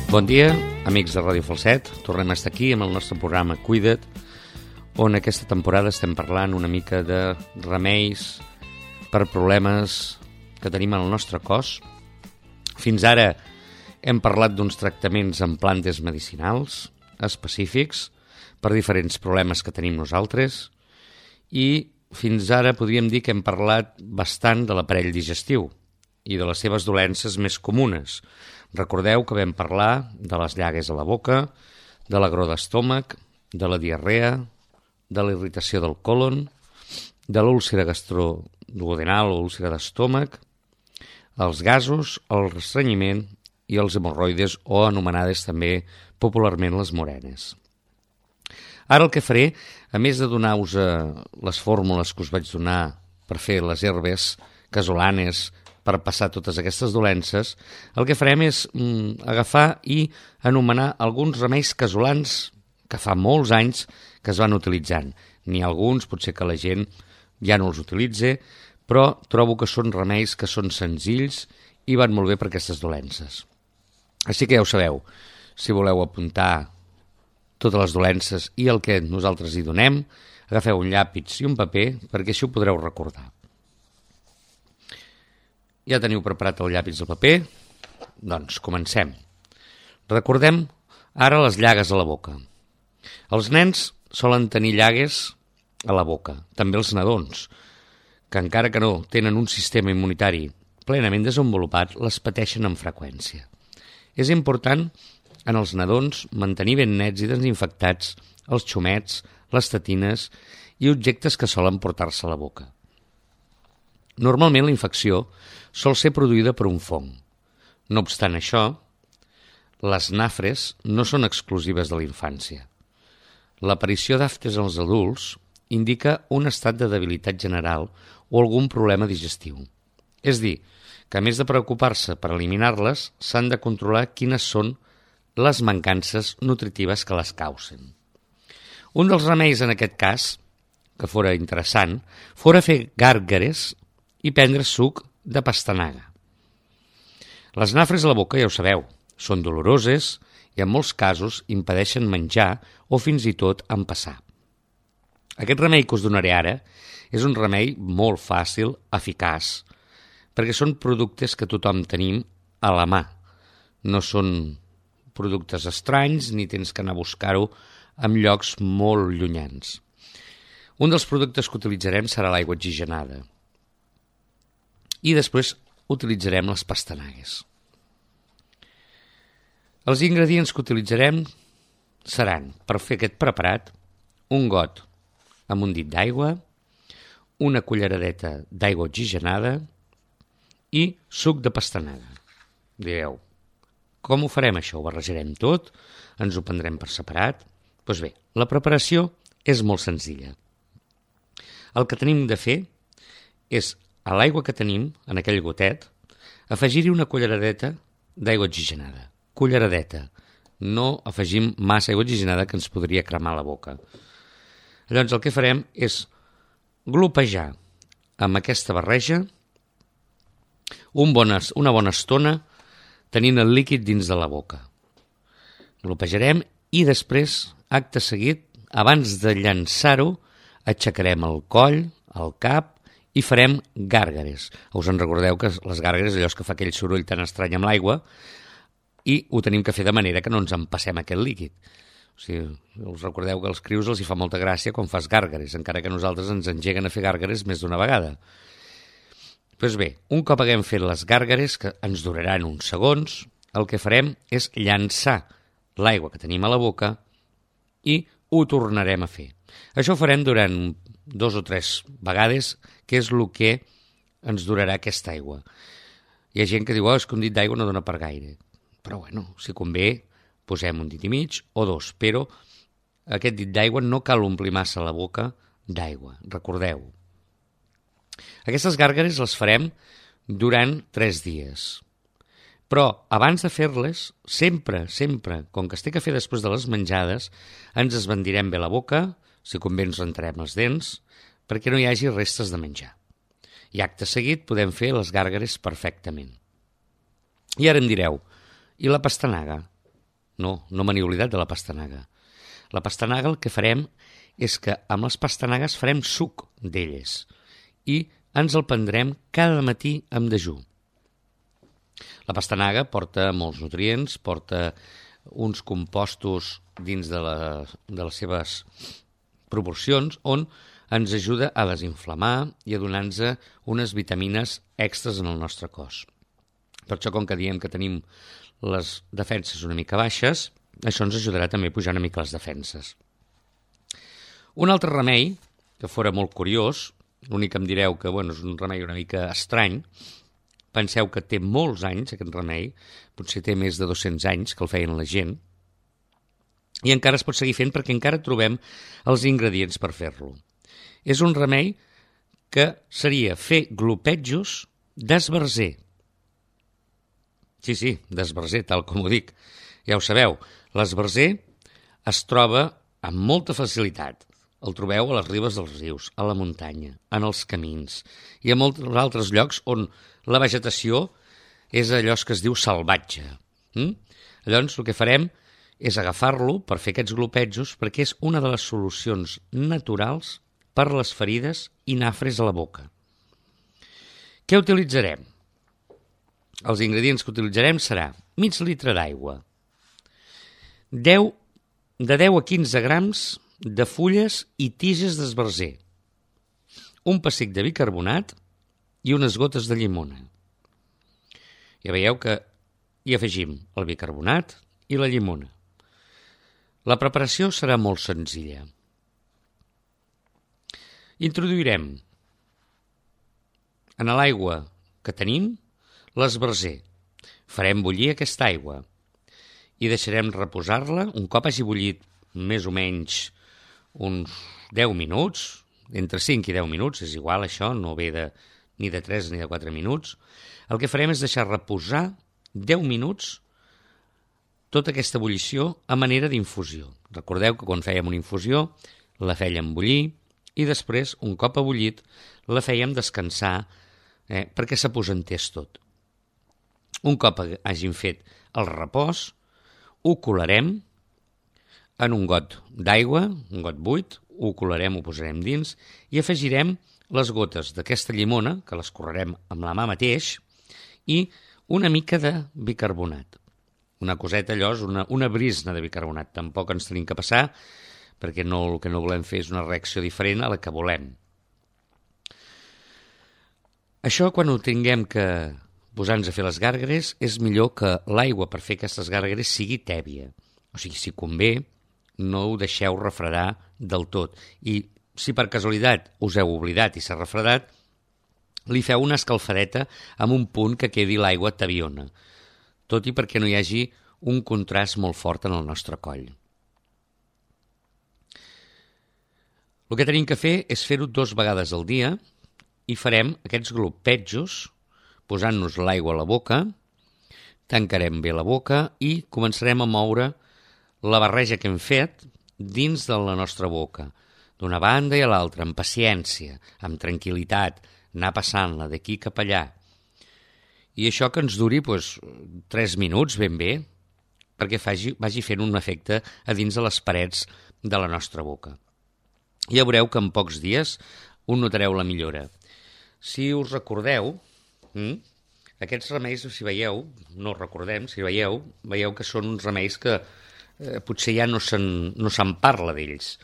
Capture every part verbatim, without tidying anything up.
Bon dia, amics de Ràdio Falset. Tornem a estar aquí amb el nostre programa Cuida't, on aquesta temporada estem parlant una mica de remeis per problemes que tenim en el nostre cos. Fins ara hem parlat d'uns tractaments amb plantes medicinals específics per diferents problemes que tenim nosaltres i fins ara podríem dir que hem parlat bastant de l'aparell digestiu i de les seves dolències més comunes. Recordeu que vam parlar de les llagues a la boca, de l'agró d'estómac, de la diarrea, de la irritació del còlon, de l'úlcera gastroduodenal o úlcera d'estómac, els gasos, el restrenyiment i els hemorroides o anomenades també popularment les morenes. Ara el que faré, a més de donar-vos les fórmules que us vaig donar per fer les herbes casolanes, per passar totes aquestes dolències, el que farem és mm, agafar i anomenar alguns remeis casolans que fa molts anys que es van utilitzant. N'hi ha alguns, potser que la gent ja no els utilitza, però trobo que són remeis que són senzills i van molt bé per aquestes dolències. Així que ja ho sabeu, si voleu apuntar totes les dolències i el que nosaltres hi donem, agafeu un llapis i un paper perquè així ho podreu recordar. Ja teniu preparat el llapis i el paper? Doncs comencem. Recordem ara les llagues a la boca. Els nens solen tenir llagues a la boca, també els nadons, que encara que no tenen un sistema immunitari plenament desenvolupat, les pateixen amb freqüència. És important en els nadons mantenir ben nets i desinfectats els xumets, les tetines i objectes que solen portar-se a la boca. Normalment la infecció sol ser produïda per un fong. No obstant això, les nafres no són exclusives de la infància. L'aparició d'aftes als adults indica un estat de debilitat general o algun problema digestiu. És dir, que a més de preocupar-se per eliminar-les, s'han de controlar quines són les mancances nutritives que les causen. Un dels remeis en aquest cas, que fora interessant, fora fer gàrgares i prendre suc de pastanaga. Les nafres a la boca, ja ho sabeu, són doloroses i en molts casos impedeixen menjar o fins i tot empassar. Aquest remei que us donaré ara és un remei molt fàcil, eficaç, perquè són productes que tothom tenim a la mà. No són productes estranys ni tens que anar a buscar-ho en llocs molt llunyans. Un dels productes que utilitzarem serà l'aigua oxigenada. I després utilitzarem les pastanagues. Els ingredients que utilitzarem seran, per fer aquest preparat, un got amb un dit d'aigua, una culleradeta d'aigua oxigenada i suc de pastanaga. Direu, com ho farem això? Ho barrejarem tot? Ens ho prendrem per separat? Doncs bé, la preparació és molt senzilla. El que tenim de fer és a l'aigua que tenim, en aquell gotet, afegir-hi una culleradeta d'aigua oxigenada. Culleradeta. No afegim massa aigua oxigenada que ens podria cremar la boca. Llavors el que farem és glopejar amb aquesta barreja un bona, una bona estona tenint el líquid dins de la boca. Glopejarem i després, acte seguit, abans de llançar-ho, aixecarem el coll, el cap, i farem gàrgares. Us en recordeu que les gàrgares allò és que fa aquell soroll tan estrany amb l'aigua i ho tenim que fer de manera que no ens empassem aquest líquid. O sigui, us recordeu que als crius els hi fa molta gràcia quan fas gàrgares, encara que nosaltres ens engeguen a fer gàrgares més d'una vegada. Doncs bé, un cop haguem fet les gàrgares, que ens duraran uns segons, el que farem és llançar l'aigua que tenim a la boca i ho tornarem a fer. Això ho farem durant dos o tres vegades, que és el que ens durarà aquesta aigua. Hi ha gent que diu, oh, és que un dit d'aigua no dona per gaire. Però bueno, si convé, posem un dit i mig o dos, però aquest dit d'aigua no cal omplir massa la boca d'aigua, recordeu. Aquestes gàrgares les farem durant tres dies. Però abans de fer-les, sempre, sempre, com que es té que fer després de les menjades, ens esbandirem bé la boca, si convé ens rentarem les dents, perquè no hi hagi restes de menjar. I acte seguit podem fer les gàrgares perfectament. I ara em direu, i la pastanaga? no, no me n'he oblidat de la pastanaga. La pastanaga el que farem és que amb les pastanagues farem suc d'elles i ens el prendrem cada matí amb dejú. La pastanaga porta molts nutrients, porta uns compostos dins de, la, de les seves proporcions on ens ajuda a desinflamar i a donar-nos unes vitamines extres en el nostre cos. Per això, com que diem que tenim les defenses una mica baixes, això ens ajudarà també a pujar una mica les defenses. Un altre remei, que fora molt curiós, l'únic que em direu que bueno, és un remei una mica estrany, penseu que té molts anys aquest remei, potser té més de dos-cents anys que el feien la gent, i encara es pot seguir fent perquè encara trobem els ingredients per fer-lo. És un remei que seria fer glopetjos d'esbarzer. Sí, sí, d'esbarzer, tal com ho dic. Ja ho sabeu, l'esbarzer es troba amb molta facilitat. El trobeu a les ribes dels rius, a la muntanya, en els camins i a molts altres llocs on la vegetació és allò que es diu salvatge. Mm? Llavors, el que farem és agafar-lo per fer aquests glopetjos perquè és una de les solucions naturals per les ferides i nafres a la boca. Què utilitzarem? Els ingredients que utilitzarem serà mig litre d'aigua, deu, de deu a quinze grams de fulles i tiges d'esbarzer, un pessic de bicarbonat i unes gotes de llimona. Ja veieu que hi afegim el bicarbonat i la llimona. La preparació serà molt senzilla. Introduirem en l'aigua que tenim l'esbarzer. Farem bullir aquesta aigua i deixarem reposar-la un cop hagi bullit més o menys uns deu minuts, entre cinc i deu minuts, és igual això, no ve de, ni de tres ni de quatre minuts. El que farem és deixar reposar deu minuts tota aquesta ebullició a manera d'infusió. Recordeu que quan fèiem una infusió la fèiem bullir i després, un cop ebullit, la fèiem descansar eh, perquè s'aposentés tot. Un cop hagin fet el repòs, ho colarem en un got d'aigua, un got buit, ho colarem, ho posarem dins i afegirem les gotes d'aquesta llimona, que les correrem amb la mà mateix, i una mica de bicarbonat. Una coseta, allò, és una, una brisna de bicarbonat. Tampoc ens tenim que passar, perquè no, el que no volem fer és una reacció diferent a la que volem. Això, quan ho tinguem que posar-nos a fer les gàrgares, és millor que l'aigua per fer aquestes gàrgares sigui tèbia. O sigui, si convé, no ho deixeu refredar del tot. I si per casualitat us heu oblidat i s'ha refredat, li feu una escalfadeta amb un punt que quedi l'aigua tabiona, tot i perquè no hi hagi un contrast molt fort en el nostre coll. El que tenim que fer és fer-ho dues vegades al dia i farem aquests glopetjos posant-nos l'aigua a la boca, tancarem bé la boca i començarem a moure la barreja que hem fet dins de la nostra boca, d'una banda i a l'altra, amb paciència, amb tranquil·litat, anar passant-la d'aquí cap allà. I això que ens duri doncs, tres minuts ben bé, perquè faci, vagi fent un efecte a dins de les parets de la nostra boca. Ja veureu que en pocs dies un notareu la millora. Si us recordeu, hm, aquests remeis, si veieu, no recordem, si veieu, veieu que són uns remeis que eh, potser ja no se'n no se'n parla d'ells.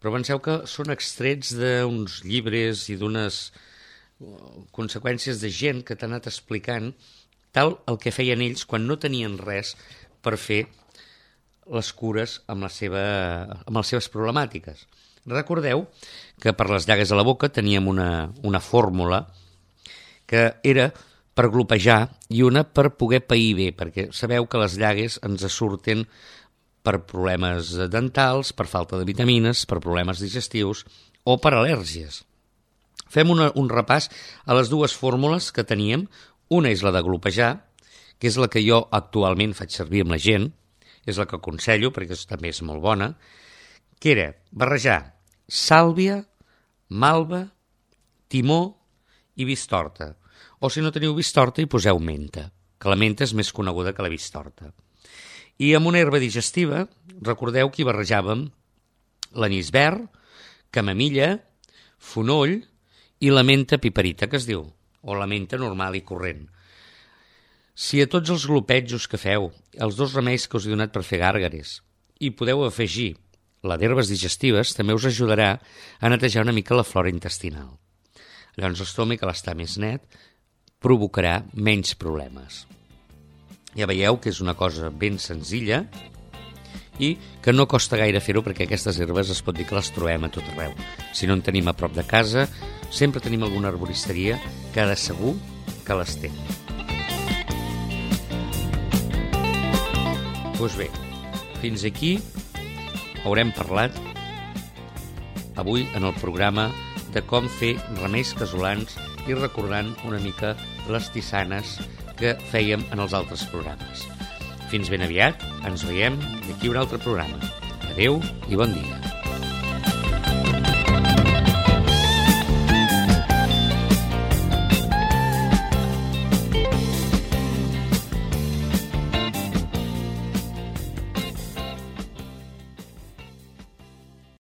Però penseu que són extrets d'uns llibres i d'unes conseqüències de gent que t'ha anat explicant tal el que feien ells quan no tenien res per fer les cures amb, la seva, amb les seves problemàtiques. Recordeu que per les llagues a la boca teníem una, una fórmula que era per glopejar i una per poder pair bé, perquè sabeu que les llagues ens surten per problemes dentals, per falta de vitamines, per problemes digestius o per al·lèrgies. Fem una, un repàs a les dues fórmules que teníem. Una és la de glopejar, que és la que jo actualment faig servir amb la gent, és la que aconsello perquè també és molt bona, que era barrejar sàlvia, malva, timó i vistorta. O si no teniu vistorta hi poseu menta, que la menta és més coneguda que la vistorta. I amb una herba digestiva, recordeu que hi barrejàvem l'anís verd, camamilla, fonoll i la menta piperita, que es diu, o la menta normal i corrent. Si a tots els glopetjos que feu, els dos remeis que us he donat per fer gàrgares, hi podeu afegir la d'herbes digestives, també us ajudarà a netejar una mica la flora intestinal. Llavors l'estómac, al estar més net, provocarà menys problemes. Ja veieu que és una cosa ben senzilla i que no costa gaire fer-ho, perquè aquestes herbes es pot dir que les trobem a tot arreu. Si no en tenim a prop de casa, sempre tenim alguna arboristeria que de segur que les té. Doncs bé, fins aquí haurem parlat avui en el programa de com fer remeis casolans i recordant una mica les tisanes que fèiem en els altres programes. Fins ben aviat, ens veiem d'aquí un altre programa. Adéu i bon dia.